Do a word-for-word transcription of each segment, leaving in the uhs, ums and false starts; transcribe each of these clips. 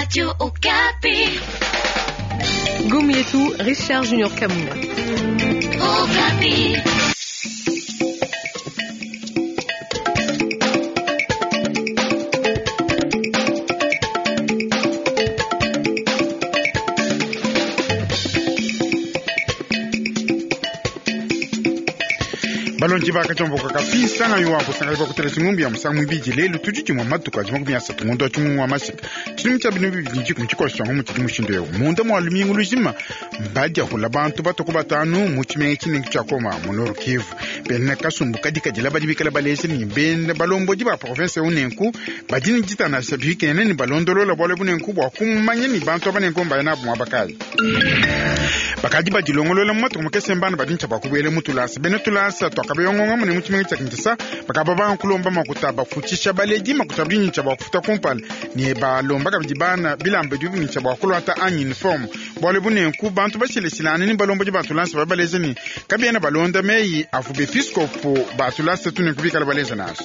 Radio Okapi. Gomietu, Richard Junior Kamuna. Okapi. Balonji bakacomboka kapisa yo akusanga bakutela chingumbi ya musangu mwibiji lelu tudi chimwa matuka ajima kumi asatu ngondo chimwe wa mashika chilimu cha binu bibiji nchiku mchikola changu muchili mushindo yo munda mwa lumingu lujima mbadya hula bantu batoko batanu mu chimenge chinengi chakoma mu Nord Kivu bena kasumbu kadikadila badi bikala baleshe ni bena balombodi ba province unenku badi ni jitana bikene ni balondolola bwale bunenku bwa kumanya ni bantu abanenku mbayana bwa bakali bakadi badilongolola mu matuku makese mbana badi ntsha bakubwele mutulasa bene tulasa twakabeyongonga mune muchimenga tshia Kinshasa bakaba bankulomba makuta bafutshisha baledi makuta badi ntsha bakufuta kumpala ne balomba kabidi bana bilamba bidibu ntsha bakulwata anyi uniforme bwale bunenku bantu bashileshilane ni balombodi batulasa babaleza ni kabiena balonda meyi afu bepiskopo batulasa tunenku bikala baleza naso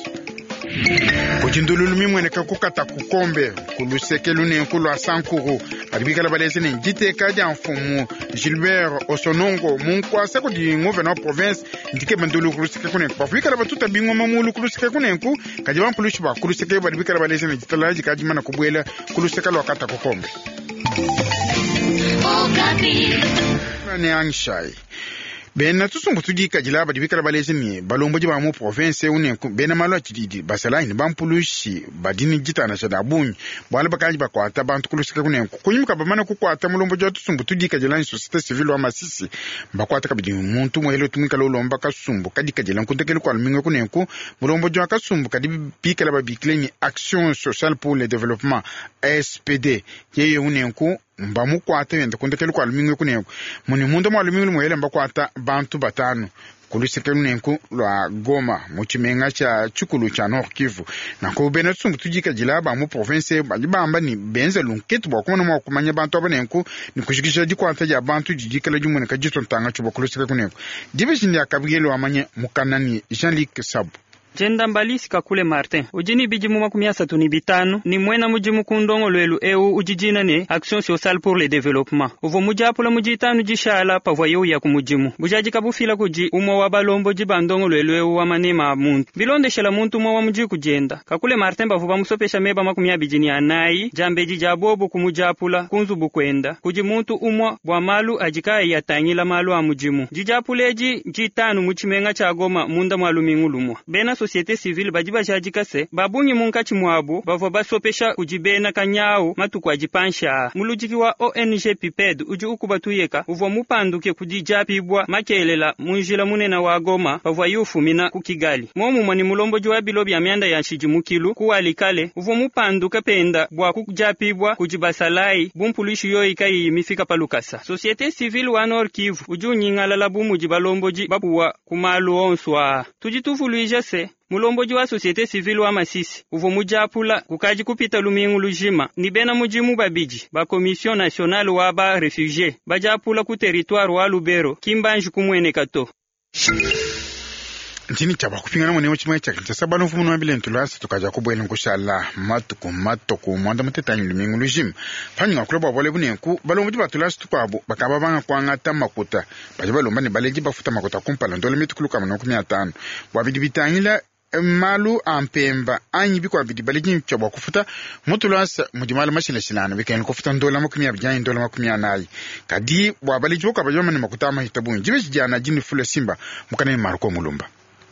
kujindululu mimweneka kukata kukombe kuluseke lunenku lwa sankuru badi bikala baleza ne diteka dia mfumu Gilbert Osonongo munkwasa kudi nguvena wa province ndike bandulu kuluseke kunenku bafu bikala batuta bingoma mulu kuluseke kunenku kadi bampulushi ba kuluseke badi bikala baleza ne ditala dikadi mana kubwela kuluseke lwa kata kukombe Okapi. ne angishai bena tusumbu tudikadila badi bikala baleza ne balombodi ba mu province unenku bena malu a tshididi basalayi ne bampulushi badi ne ditanasha da bungi bwala bakadi bakwata bantu kuluseke kunenku kunyima bamana kukwata mulombodi wa tusumbu tudikadila ni société civile wa Masisi bakwata kabidi muntu muhele tumwikala ulomba kasumbu kadikadila nkuntekele kwa luminga kunenku mulombodi wa kasumbu kadi bikala babikile ni Action sociale pour le développement S P D yeye unenku mbamukwata yenda kundekele kwa lumingu kunenku muni munda mwa lumingu lumuhele mbakwata bantu batanu kuluseke lunenku lwa Goma mu tshimenga tshia tshikulu tshia Nord Kivu nanku bena tusumbu tudikadila ba mu province badi bamba ni benza lunketu bua kumona mua kumanya bantu aba nenku ni kushikisha dikwata dia bantu didikala dimueneka ditontanga tshiba kuluseke kunenku dibeji ndia Gabriel wamanye mukanani Jean-Luc Sabu. Jenda Mbalisi Kakule Martin ujini bidimu makumi asatu ni bitanu ni mwena mudimu ku ndongo lwelu eu ujijina ne Action sociale pour le développement uvo mujapula mujitanu jishala pavwa yeu ya ku mudimu bujaji kabufila kuji umwe wa balomboji ba ndongo lwelu eu wa manema a muntu bilondeshela muntu umwe wa muji kujenda Kakule Martin bavu bamusopesha meba makumi abidi ni anayi jambeji ja bobu kumujapula kunzubu kwenda kuji muntu umwe bwa malu ajikayi yatangila malu a mudimu jijapula eji jitanu muchimenga cha Goma munda mwa lumingu lumwa bena société civile badi bajadika se babungi munkatshi mwabu bavua basopesha kujibena kanyawu matuku ajipansha muludiki wa O N G PIPED udi ukubatuyeka uvua mupanduke kudijapibwa makelela munjila munena wa Goma bavua yufumina ku Kigali momumwa ni mulombodi wa bilo bya myanda ya nshidimukilu kuwalikale uvua mupanduke penda bwa kujapibwa kujibasalai bumpulushi yoyi kayiyi mifika palukasa société civile wa Nord Kivu udi unyingalala bumudi balombodi babuwa kumalu onso aa tudi tuvuluija se mulomboji wa société civile wa Masisi uvo mujapula kukaji kupita lumingu lujima ni bena mujimu babiji ba commission nationale wa ba réfugiés bajapula ku territoire wa Lubero kimbanji kumweneka to nchini cha bakupingana mwene chimwe cha Kinshasa balo mfumu wa bilentu lasi tukaja kubwela nkushala matuku matuku mwanda mutetanyi lumingu lujima panyinga kuloba bwale bunenku balomboji batulasi tukwabo bakaba banga kwangata makuta baje balomba ne baleji bafuta makuta kumpala ndole mitukulu kama makumi atano bwa bidi bitangila malu a mpemba anyi bikwa bidi baleji ncha bwa kufuta mutulasa mudimala mashilashilana bikene kufuta ndola makumi abidi anyi ndola makumi anayi kadi bwa baleji bokwa baje bamane makuta amahita bungi jibe jijana jini fula simba mukane Marko Mulumba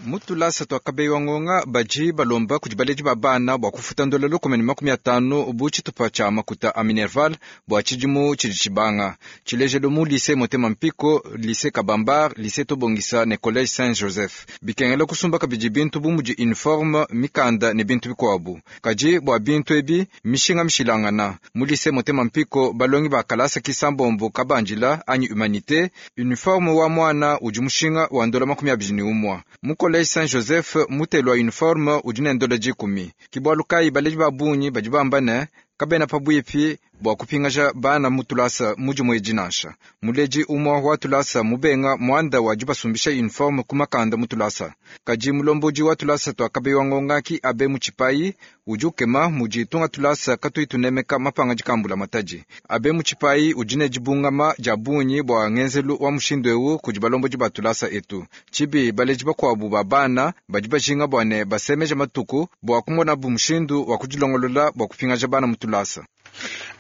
mutulasa twakabeyiwa ngonga baji balomba kudi baleji ba bana bua kufuta ndola lukumi ne makumi atanu bu tshitupa tshia makuta a Minerval bua tshidimu tshidi tshibanga tshilejelo mu lycée Motema Mpiko lycée Kabambar lycée Tobongisa ne collège Saint Joseph bikengela kusumba kabidi bintu bu mudi uniforme mikanda ne bintu bikuabu kadi bua bintu ebi mishinga mishilangana mu lycée Motema Mpiko balongi ba kalasa kisambombo kabandila anyi humanité uniforme wa mwana udi mushinga wa ndola makumi abidi ne umwa mu collège Saint Joseph mutelwa uniforme udi ne ndola dikumi kibwalu kayi baleji ba bungi badi bamba ne kabena pabwipi Bua kupingaja bana mu tulasa mu dimue edi nansha. Muledi umue wa tulasa mubenga muanda wa dibasumbisha uniforme ku makanda mu tulasa. Kadi mulombodi wa tulasa tua Kabeya Ngonga ki abe mu tshipayi udi ukema mudi tunga tulasa katuyi tunemeka mapanga dikambula matadi. Abe mu tshipayi udi ne dibungama dia bungi bua ngenzelu wa mushindu eu kudi balombodi ba tulasa etu. Tshibi baledi bakuabu ba bana badi bajinga bua ne basemeja matuku bua kumonabu mushindu wa kudilongolola bua kupingaja bana mu tulasa.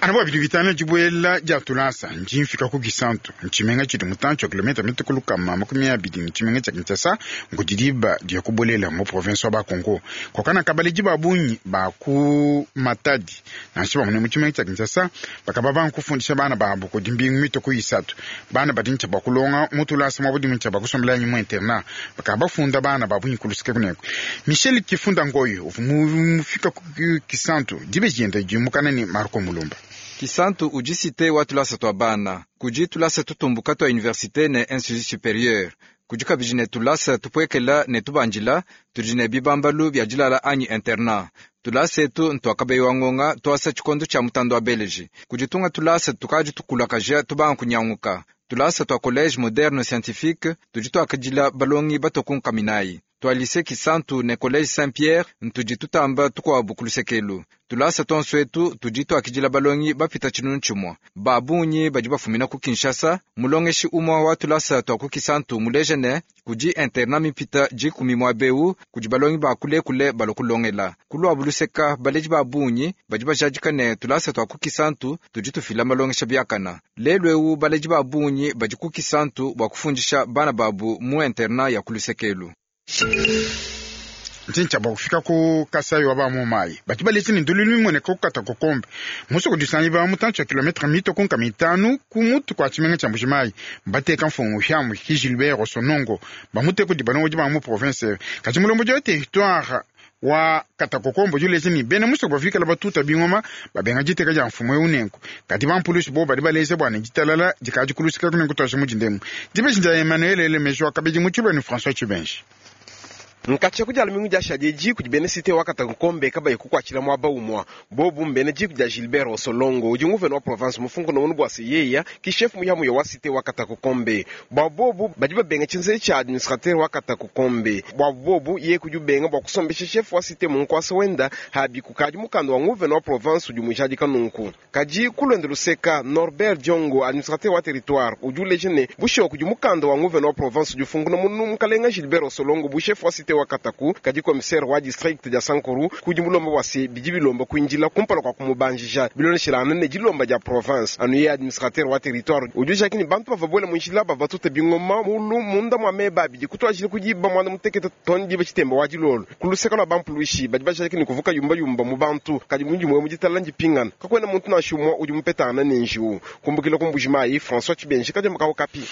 Ana bua bidi bitana dibuela dia tulasa ndi mfika ku Kisantu ntshimenga tshidi mutantshi wa kilomita mitue ku lukama makumi abidi ne tshimenga tshia Kinshasa nkudi diba dia kubuelela mu province wa Bakongo kokana kabaledi ba bungi ba ku Matadi nansha bamune mu tshimenga tshia Kinshasa bakaba bankufundisha bana babo kudi mbingu mitue ku isatu bana badi ntshia bua kulonga mu tulasa mwa budimu ntshia bakusombela mu internat bakaba bafunda bana ba bungi kuluseke kuneko Michel Kifunda Ngoyo uvua mufika ku Kisantu dibe dienda dimukana ne Marco Mulumba. Kisantu udi cité wa tulasa tua bana kudi tulasa tutumbuka tua université ne institut supérieur kudi kabidi ne tulasa tupuekela ne tubandila tudi ne bibambalu bia dilala anyi internat. Tulasa etu ntua Kabeya wa Ngonga tuasa tshikondo tshia mutanda wa beleji kudi tunga tulasa tukadi tukulakaja tubanga kunyanguka. Tulasa tua collège moderne scientifique tudi tuakadila balongi batokunka minayi tua lycée Kisantu ne collège Saint-Pierre ntudi tutamba tukuabu kulusekelu. Tulasa tonso etu tudi tuakidila balongi bapita tshinunu tshimue ba bungi badi bafumina ku Kinshasa. Mulongeshi umue wa tulasa tua ku Kisantu muleja ne kudi internat mipita dikumi mua beu kudi balongi ba kulekule balokulongela kuluabu luseka. Baledi ba bungi badi bajadika ne tulasa tua ku Kisantu tudi tufila malongesha biakana. Lelu eu baledi ba bungi badi ku Kisantu bua kufundisha bana babu mu internat ya kulusekelu. Ntshintsha bua kufika ku Kasai wa ba mu mayi badi baletse ne ndululu imone kukata kokombe muso kudisanyi ba mutantshi wa kilometre mito ku nkama itanu ku mutu kua tshimenga tshia Mbuji-Mayi bateka mfungu hyamu ki Gilbert Osonongo bamute kudi balongodi ba mu province kadi mulombodi wa territoire wa Katakokombo juleze ni bena musoko bavikala batuta bingoma babenga diteka dia mfumu eu nenku kadi bampulusi bo badi baleze bua ne ditalala dikadi kulusika kunenku twasha mudindemu dibeji dia Emmanuel Elemejo wakabidi mu tshilweni François Chibenji. Nkatsha kudiala mingu dia shadi diku di bena cité wa Katakokombe kabayi kukuatshila muaba umua bobu mbene diku dia Gilbert Osolongo udi nguvene wa province mufunkuno munu bua seyeya ki chef muyamuya wa cité wa Katakokombe bua bobu badi babenga tshinze tshia administrateur wa Katakokombe bua bobu ye kudi ubenga bua kusombesha chef wa cité munkwasa wenda habi kukadi mukanda wa nguvene wa province udi mujadika nunku kadi kulwenda luseka Norbert Diongo administrateur wa territoire udi uleja ne bushiwa kudi mukanda wa nguvene wa province udi ufunkuno munu mukalenga Gilbert Osolongo bu chef wa cité wa Kataku kadi commissaire wa district dia Sankuru kudi mulomba wa se bidi bilomba kuinjila kumpala kwa kumubanjija biloneshela ne dilomba dia province anu ye administrateur wa territoire udi jakini bantu bava bwela munjila bava tuta bingoma mulu munda mwa meba bidi kutwajila kudiba mwana mutekete toni diba chitemba wa dilolo kuluseka lwa bampuluishi badi bajakini kuvuka yumba yumba mu bantu kadi mundi mwe muditala ndipingana kakwena muntu nashumwa udi mupetana ne njiwu kumbukila ku Mbuji-Mayi François Chibenji kadi mukao kapi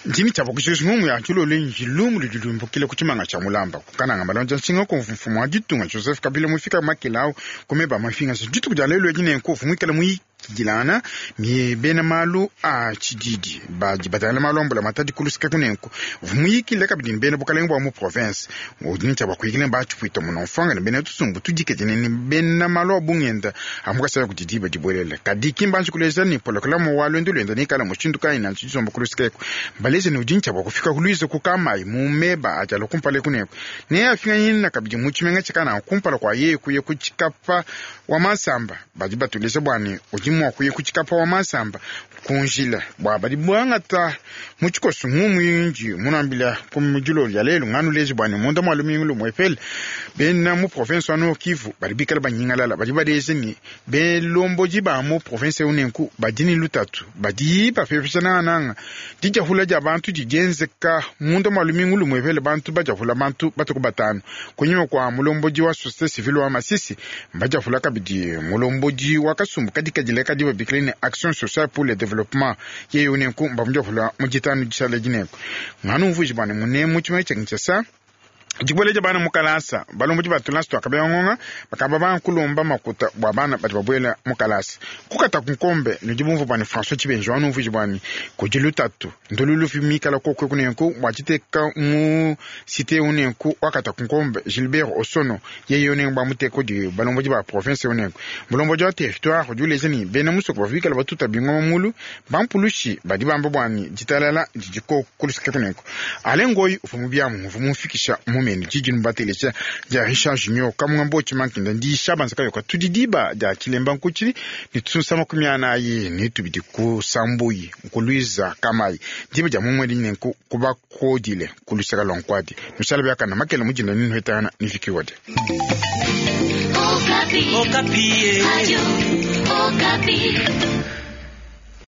ndini tsha bokushikisha ngumu ya tshilolo njilumu lidilumbukile ku tshimanga tsha mulamba kukananga malonja nshinga ku mfumu wa ditunga Joseph Kabila mufika makilau kumeba mafinga dituku dia lelo edi nenku mwikala mwikidilana ni bena malu a tshididi badi batangila malu ambula matadi kulusika kunenku vumuyikile kabidi bena bukalenga bua mu province udi ntshia bakuikile batshipwita muno mfanga ne bena tusumbu tudikete ne bena malu a bungenda amukasaya kuti diba dibuelele kadi kimbanji kuleza ni polokolamu wa lwendo lwenda nikala mushindu kayi na tshisomba kulusika eko baleze ne udi ntshia bakufika kuluiza kukamayi mu meba ajalo kumpala kuneko ne afinga yina kabidi mu tshimenga tshikana kumpala kwa yeye kuye kutshikapa wa masamba badi batuleza bwane udi mua kuye kutshikapa wa masamba kunjila bua badi bwangata mu tshikoso ngumu yinji munambila ku mudilo ya lelo nganu lezi bwane munda mwa lumingu lumwepele bena mu province wa Nord Kivu badi bikala banyingalala badi baleze ni belomboji ba mu province unenku badi ni lutatu badi bapepesha nananga dijahula dia bantu dijenzeka munda mwa lumingu lumwepele bantu bajahula bantu batuku batano kunyuma kwa mulomboji wa société civile wa Masisi bajahula kabidi mulomboji wa kasumbu kadikadile kadi babikile ne action sociale pour le développement yeye unenku mbamujahula mujitanu jishala jineko nganu mvuji bwane mune mu tshimwe tsha Kinshasa Dibueleja bana mukalasa balomboji ba tulasa twakabeya ngonga bakaba bankulomba makuta bua bana badi babuela mukalasa kukata kunkombe nudi bumvu bwani François Tshibenji wanumvuiji bwani kudi lutatu ndululu mikala kokwe kunenku bua tshiteka mu cité unenku wakata kunkombe Gilbert Osono yeye unenku bamuteka di balomboji ba province unenku mulomboji wa territoire udi uleja ni bena musoko bavikala batuta bingoma mulu bampulushi badi bamba bwani ditalala didiko kulusika kunenku ale ngoyi uvu mu biamu uvu mumfikisha mumene didi nubateleja dia Richard Junior kamunga mbochi mankinda ndi shabanza kayoka tudi diba dia chilemba nkuchili ni tusunsa makumi anayi ni tubidi kusambuyi nkuluiza kamayi diba dia mumweli nenku kubakodile kulusaka lwa nkwadi nushala byakana makele mujinda ninu hetana nifikiwade. Okapi. Okapi. Radio Okapi.